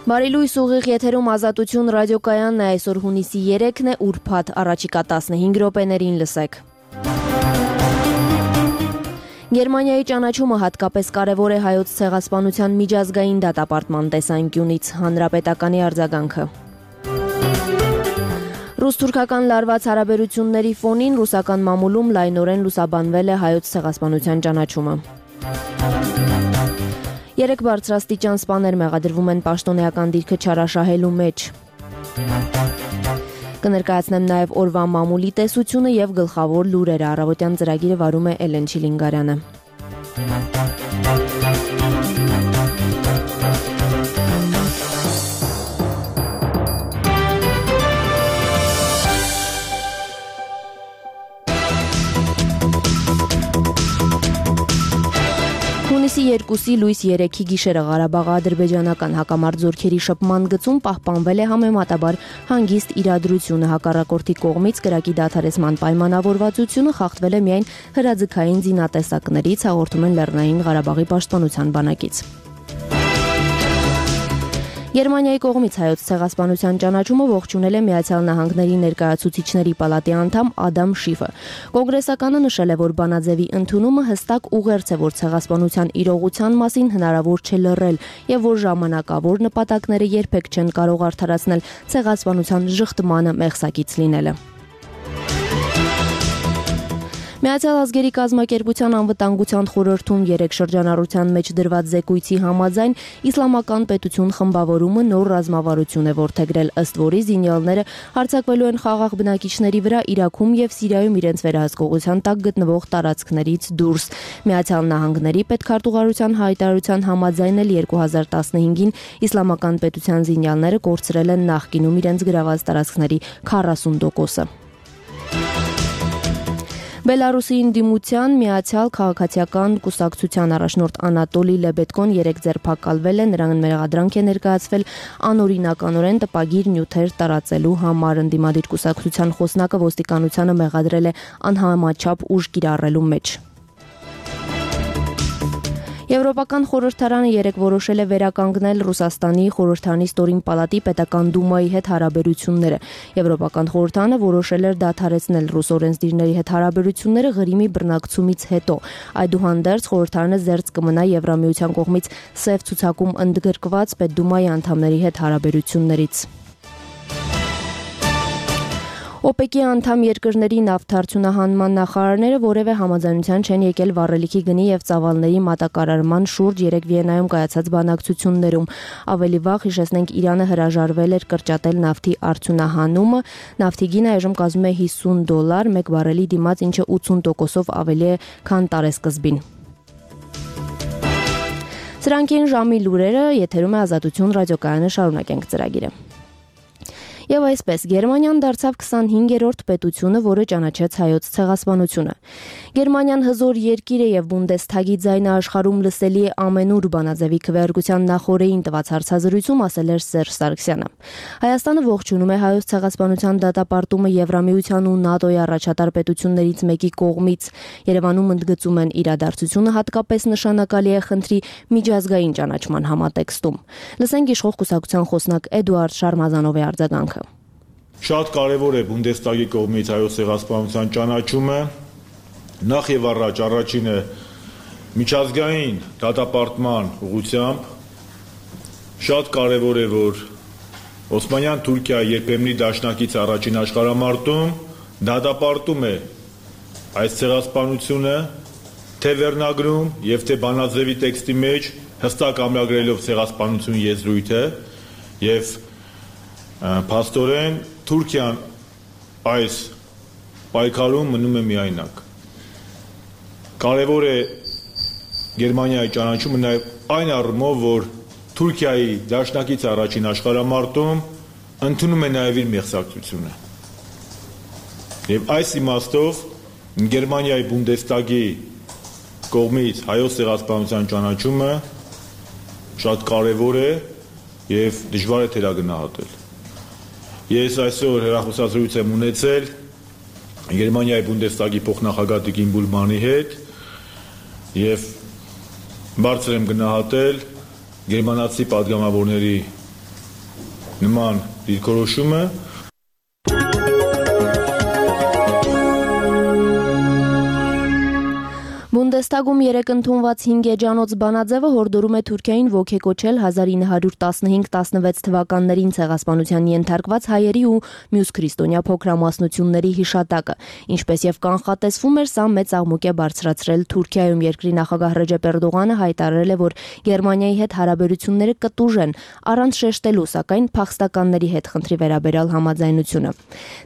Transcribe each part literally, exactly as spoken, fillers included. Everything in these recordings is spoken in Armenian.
Բարի լույս, ուղիղ եթերում Ազատություն ռադիոկայանն է, այսօր հունիսի երեքն է, ուրբաթ, առաջիկա տասնհինգ րոպեներին լսեք։ Գերմանիայի ճանաչումը հատկապես կարևոր է հայոց ցեղասպանության միջազգային դատապարտման տեսանկյունից, հանրապետականի արձագանքը։ Ռուս-թուրքական լարված հարաբերությունների ֆոնին ռուսական մամուլում լայնորեն լուսաբանվել է հայոց ցեղասպանության ճանաչումը։ Երեք բարձրաստիճան սպաներ մեղադրվում են պաշտոնեական դիրքը չարաշահելու մեջ։ Կներկայացնեմ նաև օրվա մամուլի տեսությունը եւ գլխավոր լուրերը։ Առավոտյան ծրագիրը վարում է Էլեն Չիլինգարյանը։ Հունիսի երկուսի լույս երեքի գիշերը Ղարաբաղի ադրբեջանական հակամարտ զորքերի շփման գծում պահպանվել է համեմատաբար հանգիստ իրադրությունը, հակառակորդի կողմից կրակի դադարեցման պայմանավորվածությունը խախտվել է միայն հրաձգային զինատեսակներից, հաղորդում են Լեռնային Ղարաբաղի պաշտպանության բանակից։ Գերմանիայի կողմից հայոց ցեղասպանության ճանաչումը ողջունել է Միացյալ Նահանգների ներկայացուցիչների պալատի անդամ Ադամ Շիֆը։ Կոնգրեսականը նշել է, որ բանաձևի ընդունումը հստակ ուղերձ է, որ ցեղասպանության իրողության մասին հնարավոր չէ լռել եւ որ ժամանակավոր նպատակները երբեք չեն կարող արդարացնել ցեղասպանության ժխտմանը մեղսակից լինելը։ Միացյալ ազգերի կազմակերպության անվտանգության խորհրդում երեք շրջանառության մեջ դրված զեկույցի համաձայն իսլամական պետություն խմբավորումը նոր ռազմավարություն է որդեգրել, ըստ որի զինյալները հարձակվելու են խաղաղ բնակիչների վրա Իրաքում եւ Սիրիայում իրենց վերահսկողության տակ գտնվող տարածքներից դուրս։ Միացյալ Նահանգների պետքարտուղարության հայտարարության համաձայն էլ երկու հազար տասնհինգին իսլամական պետության զինյալները կորցրել են նախկինում իրենց գրաված տարածքների քառասուն տոկոսը։ Բելարուսի ինդիմության միացյալ քաղաքացիական կուսակցության առաջնորդ Անատոլի Լեբեդկոն երեք ձերբակալվել է, նրան մեղադրանք է ներկայացվել անօրինականորեն տպագիր նյութեր տարածելու համար։ Ընդդիմադիր կուսակցության խոսնակը ոստիկանությանը մեղադրել է անհամաչափ ուժ կիրառելու մեջ։ Եվրոպական խորհրդարանը երեկ որոշել է վերականգնել Ռուսաստանի խորհրդարանի ստորին պալատի պետական դումայի հետ հարաբերությունները։ Եվրոպական խորհրդարանը որոշել էր դադարեցնել ռուս օրենսդիրների հետ հարաբերությունները Ղրիմի բռնակցումից հետո։ Այդուհանդերձ խորհրդարանը զերծ կմնա Եվրամիության կողմից սև ցուցակում ընդգրկված պետդումայի անդամների հետ հարաբերություններից։ օպեկի անդամ երկրների նավթարդյունահանման նախարարները որևէ համաձայնության չեն եկել վառելիքի գնի եւ ծավալների մատակարարման շուրջ երեք Վիեննայում կայացած բանակցություններում։ Ավելի վաղ հիշեցնենք, Իրանը հրաժարվել էր կրճատել նավթի արդյունահանումը, նավթի գինը այժմ կազմում է հիսուն դոլար մեկ բարելի դիմաց, ինչը ութսուն տոկոսով ավելի է, քան տարեսկզբին։ Սրանք են ժամի լուրերը, եթերում է Ազատություն ռադիոկայանը, շարունակենք ծրագիրը։ Եվ այսպես, Գերմանիան դարձավ քսանհինգերորդ պետությունը, որը ճանաչեց հայոց ցեղասպանությունը։ Գերմանիան հզոր երկիր է եւ Բունդեսթագի ձայնը աշխարհում լսելի է ամենուր, բանաձևի քվեարկության նախօրեին տված հարցազրույցում ասել էր Սերժ Սարգսյանը։ Հայաստանը ողջունում է հայոց ցեղասպանության դատապարտումը Եվրամիության ու ՆԱՏՕ-ի առաջատար պետություններից մեկի կողմից։ Երևանում ընդգծում են, իրադարձությունը հատկապես նշանակալի է խնդրի միջազգային ճանաչման համատեքստում։ Լսենք իշխող կուսակցության խոսնակ Էդուարդ Շարմազանովի արձագանքը։ Շատ կարևոր է Բունդեսթագի կողմից հայոց ցեղասպանության ճանաչումը, նախ եւ առաջ առաջինը միջազգային դատապարտման ուղղությամբ, շատ կարևոր է, որ Օսմանյան Թուրքիայի երբեմնի դաշնակից առաջին աշխարհամարտում դատապարտում է այս ցեղասպանությունը, թե վերնագրում եւ թե բանաձևի տեքստի մեջ հստակ ամրագրելով ցեղասպանություն եզրույթը եւ փաստորեն Թուրքիան այս պայքարում մնում է միայնակ։ Կարևոր է Գերմանիայի ճանաչումը նաև այն առումով, որ Թուրքիայի դաշնակից առաջին աշխարհամարտում ընդունում է նաև իր մեղսակցությունը։ Եվ այս իմաստով Գերմանիայի Բունդեսթագի կողմից հայոց ցեղասպանության ճանաչումը շատ կարևոր է եւ դժվար է թերագնահատել։ Ես այսօր հեռախոսազրույց եմ ունեցել Գերմանիայի Բունդեսթագի փոխնախագահ Տիկին Բուլմանի հետ եւ բարձր եմ գնահատել գերմանացի պատգամավորների նման դիրքորոշումը Բունդեստագում երեկ ընդունված հինգ էջանոց բանաձևը հորդորում է Թուրքիային ոգեկոչել հազար ինը հարյուր տասնհինգ տասնվեց թվականներին ցեղասպանության ենթարկված հայերի ու մյուս քրիստոնյա փոքրամասնությունների հիշատակը, ինչպես եւ կանխատեսվում էր, սա մեծ աղմուկ է բարձրացրել Թուրքիայում։ Երկրի նախագահ Ռեջեփ Էրդողանը հայտարարել է, որ Գերմանիայի հետ հարաբերությունները կտուժ են, առանց շեշտելու, սակայն փախստականների հետ խնդրի վերաբերյալ համաձայնությունը։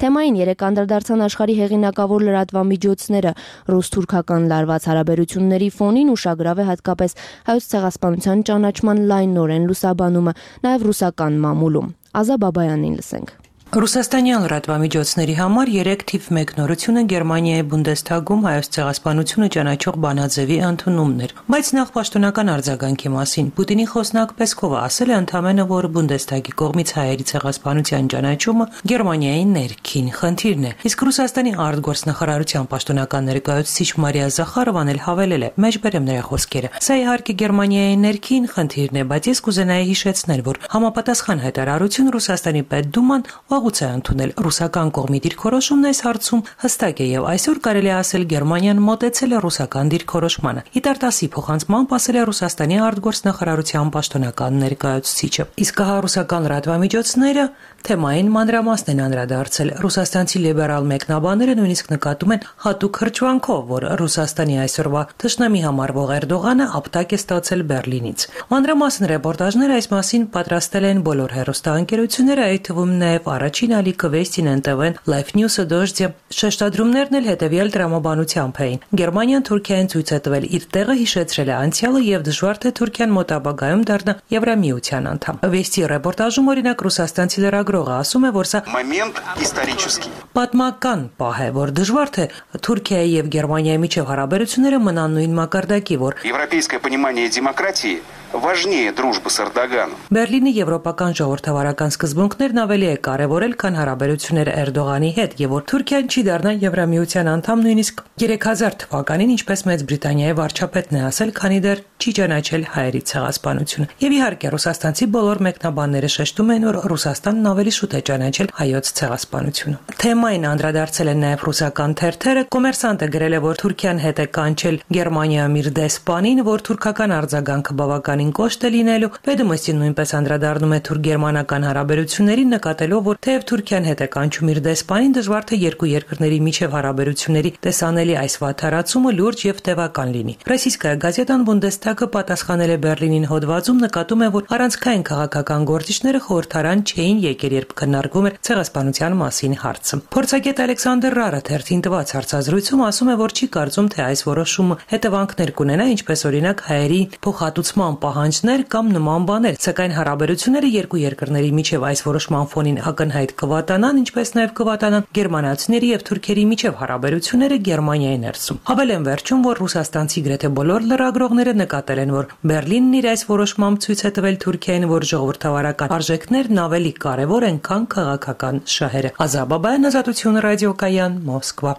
Թեմային երեկ անդրադարձան աշխարհի հեղինակավոր լրատվամիջոցները ռուս-թուրքական լարված հարաբերությունների ֆոնին ուշագրավ է հատկապես հայոց ցեղասպանության ճանաչման լայնորեն լուսաբանումը, նաև ռուսական մամուլում։ Ազա Բաբայանին լսենք։ Ռուսաստանյան լրատվամիջոցների համար երեք թիվ մեկ նորությունը Գերմանիայի Բունդեստագում հայոց ցեղասպանությունը ճանաչող բանաձևի ընդունումն էր։ Բայց նախ պաշտոնական արձագանքի մասին Պուտինի խոսնակ Պեսկովը ասել է ընդամենը, որ Բունդեստագի կողմից հայերի ցեղասպանության ճանաչումը Գերմանիայի ներքին խնդիրն է։ Իսկ Ռուսաստանի արտգործնախարարության պաշտոնական ներկայացուցիչ Մարիա Զախարովան էլ հավելել է. «Մեջբերեմ նրա խոսքերը։ Սա իհարկե Գերմանիայի ներքին խնդիրն է, բայց ես կուզենայի հիշեցնել, որ համապատասխան հայտարարություն Ռուսաստանի Պետդուման վաղուց է ընդունել ռուսական կողմի դիրքորոշումն այս հարցում հստակ է եւ այսօր կարելի է ասել Գերմանիան մոտեցել է ռուսական դիրքորոշմանը։ Իտարտասի փոխանցմամբ ասել է Ռուսաստանի արտգործնախարարության պաշտոնական ներկայացուցիչը։ Իսկ հա ռուսական լրատվամիջոցները թեմային մանրամասն են անդրադարձել։ Ռուսաստանցի լիբերալ մեկնաբանները նույնիսկ նկատում են հատուկ հրճվանքով, որ Ռուսաստանի այսօրվա թշնամի համարվող Էրդողանը ապտակ է ստացել Բերլինից։ Մանրամասն ռեպորտաժները այս մասին պատրաստել են բոլոր հեռուստաընկերությունները, այդ թվում նաեւ Առաջին ալիքը Վեստին Էն Տի Վի-ն, Life News-ը, Դոժդը, շեշտադրումներն էլ հետևյալ տրամաբանությամբ էին։ Գերմանիան Թուրքիային ցույց է տվել իր տեղը, հիշեցրել է անցյալը եւ դժվար թե Թուրքիան մոտ ապագայում դառնա Եվրամիության անդամ։ Վեստի ռեպորտաժում օրինակ ռուսաստանցի լրագրողը ասում է, որ սա момент исторический։ Պատմական պահ է, որ դժվար թե Թուրքիայի եւ Գերմանիայի միջև հարաբերությունները մնան նույն մակարդակի, որ Европейское понимание демократии важнее дружбы с Эрдоганом։ Բերլինի եվրոպական ժողովրդավարական սկզբունքներն ավելի է կարևորել, քան հարաբերությունները Էրդողանի հետ, եւ որ Թուրքիան չի դառնա Եվրամիության անդամ նույնիսկ երեք հազար թվականին, ինչպես Մեծ Բրիտանիայի վարչապետն է ասել, քանի դեռ չի ճանաչել հայերի ցեղասպանությունը։ Եվ իհարկե ռուսաստանցի բոլոր մեկնաբանները շեշտում են, որ Ռուսաստանն ավելի շուտ է ճանաչել հայոց ցեղասպանությունը։ Թեմային անդրադարձել են նաև ռուսական թերթերը։ Կոմերսանտը գրել է, որ Թուրքիան հետ է կանչել Գերմանիայում իր դեսպանին, որ թուրքական արձագանքը բավականին կոշտ է լինելու։ Վեդոմոստին նույնպես անդրադառնում է թուրք-գերմանական հարաբերություններին, նկատելով, որ թեև Թուրքիան հետ է կանչում իր դեսպանին, դժվար թե երկու երկրների միջև հարաբերությունների տեսանելի այս վատթարացումը լուրջ եւ տևական լինի։ Ռոսիյսկայա գազետան Բունդեստագը պատասխանել է Բերլինին հոդվածում, նկատում է, որ առանցքային քաղաքական գործիչները խորհրդարան չէին եկել, երբ քննարկվում էր ցեղասպանության մասին հարցը։ Փորձագետ Ալեքսանդր Ռարը թերթին տված հարցազրույցում ասում է, որ չի կարծում, թե այս որոշումը հետևանքներ կունենա, ինչպես օրինակ հայերի փոխհատուցման պահանջներ կամ նման բաներ, սակայն հարաբերությունները երկու երկրների միջև այս որոշման ֆոնին ակնհայտ կվատանան, ինչպես նաև կվատանան գերմանացիների եւ թուրքերի միջև հարաբերությունները Գերմանիայի ներսում։ Հավելեն վերջում, որ ռուսաստանցի գրեթե բոլոր լրագրողները նկատել են, որ Բերլինն իր այս որոշմամբ ցույց է տվել Թուրքիային, որ ժողովրդավարական արժեքներն ավելի կարևոր են, քան քաղաքական շահերը։ Ազաբաբայան, Ազատություն ռադիոկայան, Մոսկվա։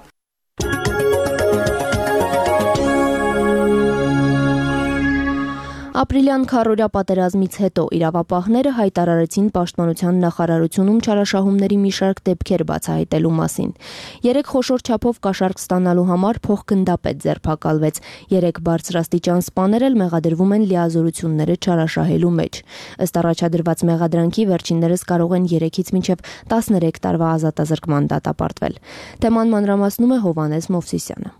Ապրիլյան քառօրյա պատերազմից հետո իրավապահները հայտարարեցին Պաշտպանության նախարարությունում չարաշահումների մի շարք դեպքեր բացահայտելու մասին։ Երեք խոշոր չափով կաշառք ստանալու համար փոխգնդապետ ձերբակալվեց։ Երեք բարձրաստիճան սպաներ էլ մեղադրվում են լիազորությունները չարաշահելու մեջ։ Ըստ առաջադրված մեղադրանքի վերջիններս կարող են երեքից մինչև տասներեք տարվա ազատազրկման դատապարտվել։ Թեման մանրամասնում է Հովհաննես Մովսիսյանը։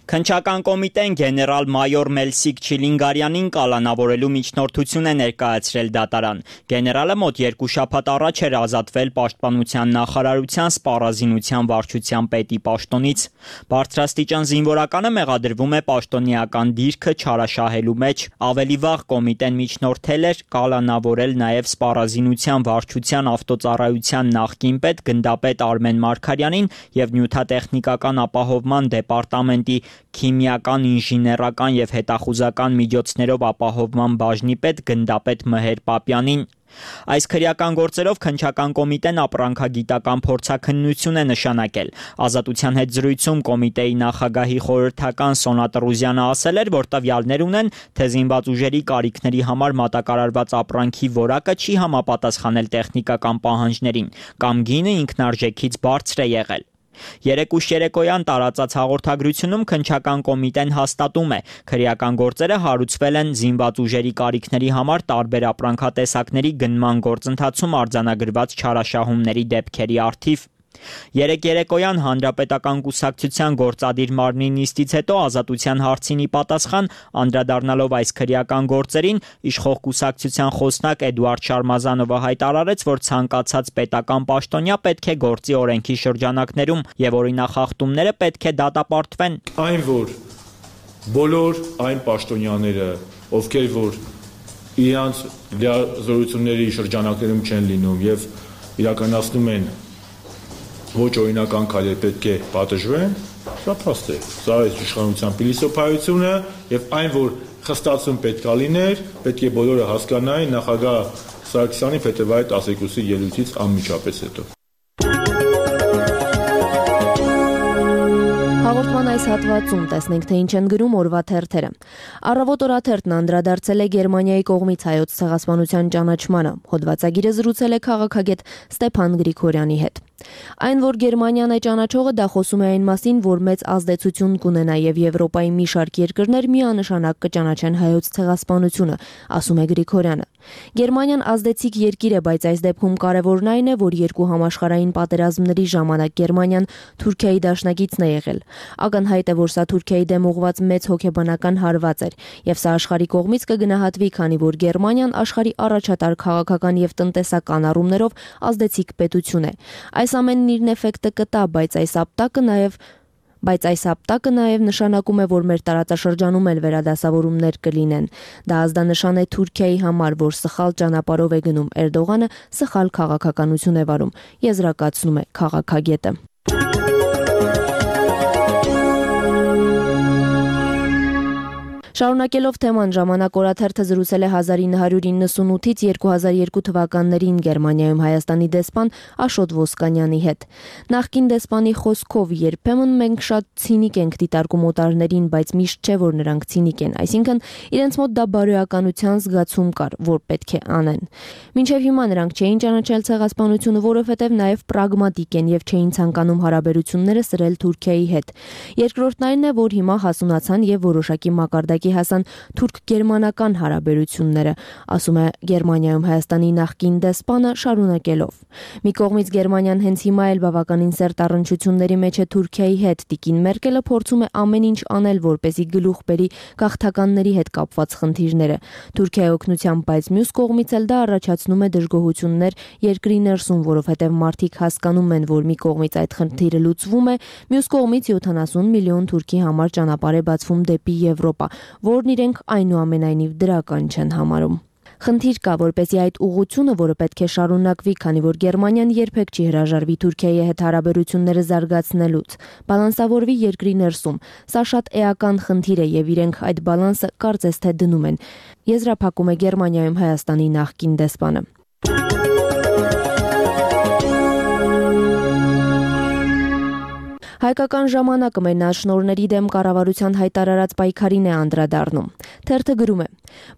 Քննչական կոմիտեն գեներալ-մայոր Մելսիկ Չիլինգարյանին կալանավորելու միջնորդություն է ներկայացրել դատարան։ Գեներալը մոտ երկու շաբաթ առաջ էր ազատվել Պաշտպանության նախարարության սպառազինության վարչության պետի պաշտոնից։ Բարձրաստիճան զինվորականը մեղադրվում է պաշտոնեական դիրքը չարաշահելու մեջ։ Ավելի վաղ կոմիտեն միջնորդել էր կալանավորել նաև սպառազինության վարչության ավտոծառայության նախկին պետ գնդապետ Արմեն Մարգարյանին եւ նյութատեխնիկական ապահովման դեպարտամենտի քիմիական, ինժեներական եւ հետախուզական միջոցներով ապահովման բաժնի պետ գնդապետ Մհեր Պապյանին։ Այս քրեական գործերով քննչական կոմիտեն ապրանքագիտական փորձաքննություն է նշանակել։ Ազատության հետ զրույցում կոմիտեի նախագահի խորհրդական Սոնա Տրուզյանը ասել էր, որ տվյալներ ունեն, թե զինված ուժերի կարիքների համար մատակարարված ապրանքի որակը չի համապատասխանել տեխնիկական պահանջներին, կամ գինը ինքնարժեքից բարձր է եղել։ Երեկույթ երեկոյան տարածած հաղորդագրությունում քննչական կոմիտեն հաստատում է, քրեական գործերը հարուցվել են զինված ուժերի կարիքների համար տարբեր ապրանքատեսակների գնման գործընթացում արձանագրված չարաշահումների դեպքերի առթիվ։ Երեկ երեկոյան Հանրապետական կուսակցության գործադիր մարմնի նիստից հետո ազատության հարցին ի պատասխան անդրադառնալով այս քրեական գործերին, իշխող կուսակցության խոսնակ Էդուարդ Շարմազանովը հայտարարեց, որ ցանկացած պետական պաշտոնյա պետք է գործի օրենքի շրջանակներում եւ օրինախախտումները պետք է դատապարտվեն։ Այն որ բոլոր այն պաշտոնյաները, ովքեր որ իրանց լիազորությունների շրջանակներում չեն լինում եւ իրականացնում են ոչ օրինական քայլեր պետք է պատժվեն, սա փաստ է։ Սա է իշխանության փիլիսոփայությունը եւ այն, որ խստացում պետք է լիներ, պետք է բոլորը հասկանային նախագահ Սարգսյանի փետրվարի տասներկուսի ելույթից անմիջապես հետո։ Հաղորդման այս հատվածում տեսնենք, թե ինչ են գրում օրվա թերթերը։ Առավոտ օրաթերթն անդրադարձել է Գերմանիայի կողմից հայոց ցեղասպանության ճանաչմանը։ Հոդվածագիրը զրուցել է քաղաքագետ Ստեփան Գրիգորյանի հետ։ Այն, որ Գերմանիան է ճանաչողը, դա խոսում է այն մասին, որ մեծ ազդեցություն կունենա եւ Եվրոպայի մի շարք երկրներ միանշանակ կճանաչեն հայոց ցեղասպանությունը, ասում է Գրիգորյանը։ Գերմանիան ազդեցիկ երկիր է, բայց այս դեպքում կարևորն այն է, որ երկու համաշխարհային պատերազմների ժամանակ Գերմանիան Թուրքիայի դաշնակիցն է եղել։ Ակնհայտ է, որ սա Թուրքիայի դեմ ուղղված մեծ հոգեբանական հարված էր, եւ սա աշխարհի կողմից կգնահատվի, քանի որ Գերմանիան աշխարհի առաջատար քաղաքական եւ տնտեսական առումներով ազդեցիկ պետություն է։ Այս ամենն իր էֆեկտը կտա, բայց այս ապտակը նաև Բայց այս ապտակը նաև նշանակում է, որ մեր տարածաշրջանում էլ վերադասավորումներ կլինեն։ Դա ազդանշան է Թուրքիայի համար, որ սխալ ճանապարհով է գնում Էրդողանը, սխալ քաղաքականություն է վարում, եզրակացնում է քաղաքագետը։ Շարունակելով թեման, Ժամանակ օրաթերթը զրուցել է հազար ինը հարյուր իննսունութից երկու հազար երկու թվականներին Գերմանիայում Հայաստանի դեսպան Աշոտ Ոսկանյանի հետ։ Նախկին դեսպանի խոսքով երբեմն մենք շատ ցինիկ ենք դիտարկում օտարներին, բայց միշտ չէ, որ նրանք ցինիկ են, այսինքն իրենց մոտ դա բարոյականության զգացում կար, որ պետք է անեն։ Մինչև հիմա նրանք չէին ճանաչել ցեղասպանությունը, որովհետև նաև պրագմատիկ են եւ չէին ցանկանում հարաբերությունները սրել Թուրքիայի հետ։ Երկրորդն այն է, որ հիմա հասունացան եւ որոշակի մակարդակի հասան թուրք-գերմանական հարաբերությունները, ասում է Գերմանիայում Հայաստանի նախկին դեսպանը շարունակելով։ Մի կողմից Գերմանիան հենց հիմա էլ բավականին սերտ առնչությունների մեջ է Թուրքիայի հետ։ Տիկին Մերկելը փորձում է ամեն ինչ անել, որպեսզի գլուխ բերի գաղթականների հետ կապված խնդիրները։ Թուրքիայի օգնությամբ, բայց մյուս կողմից էլ դա առաջացնում է դժգոհություններ երկրի ներսում, որովհետև մարդիկ հասկանում են, որ մի կողմից այդ խնդիրը լուծվում է, մյուս կողմից յոթանասուն միլիոն թուրքի համար ճանապարհ է բացվում դեպի Եվրոպա, որն իրենք այնուամենայնիվ դրական չեն համարում։ Խնդիր կա, որպեսզի այդ ուղղությունը, որը պետք է շարունակվի, քանի որ Գերմանիան երբեք չի հրաժարվի Թուրքիայի հետ հարաբերությունները զարգացնելուց, բալանսավորվի երկրի ներսում։ Սա շատ էական խնդիր է եւ իրենք այդ բալանսը կարծես թե դնում են, եզրափակում է Գերմանիայում Հայաստանի նախկին դեսպանը։ Հայկական ժամանակը մենաշնորհների դեմ կառավարության հայտարարած պայքարին է անդրադառնում։ Թերթը գրում է.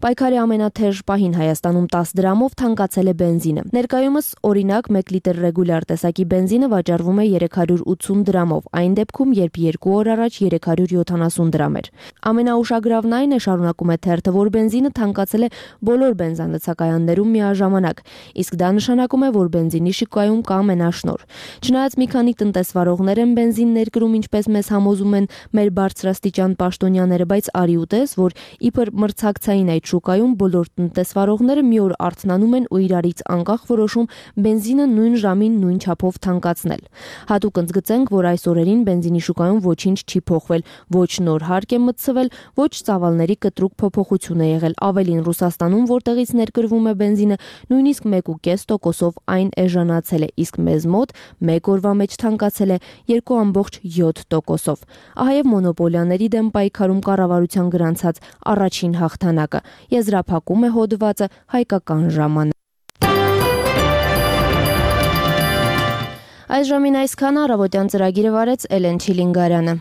Պայքարի ամենաթեժ պահին Հայաստանում տասը դրամով թանկացել է բենզինը։ Ներկայումս օրինակ մեկ լիտր ռեգուլյար տեսակի բենզինը վաճառվում է երեք հարյուր ութսուն դրամով, այն դեպքում, երբ երկու օր առաջ երեք հարյուր յոթանասուն դրամ էր։ Ամենաուշագրավն այն է, շարունակում է թերթը, որ բենզինը թանկացել է բոլոր բենզանլցակայաններում միաժամանակ, իսկ դա նշանակում է, որ բենզինի շուկայում կա մենաշնորհ։ Չնայած մի քանի տնտեսվարողներ են բենզին ներկրում, ինչպես մեզ համոզում են մեր բարձրաստիճան պաշտոնյաները, բայց արի ուտես, որ իբր մրցակցային այդ շուկայում բոլոր տնտեսվարողները մի օր արթնանում են ու իրարից անկախ որոշում բենզինը նույն ժամին նույն չափով թանկացնել։ Հատուկ ընդգծենք, որ այս օրերին բենզինի շուկայում ոչինչ չի փոխվել, ոչ նոր հարկ է մտցվել, ոչ ծավալների կտրուկ փոփոխություն է եղել։ Ավելին, Ռուսաստանում, որտեղից ներկրվում է բենզինը, նույնիսկ մեկ կόμμα պենս տոկոսով այն էժանացել է, իսկ մեզ մոտ մեկ օրվա մեջ թանկացել է երկու ամբողջ յոթ տոկոսով։ Ահա եւ մոնոպոլիաների դեմ պայքարում կառավարության գրանցած առաջին հաղթանակը, եզրափակում է հոդվածը Հայկական ժամանակ։ Այս ժամին այսքան, առավոտյան ծրագիրը վարեց Էլեն Չիլինգարյանը։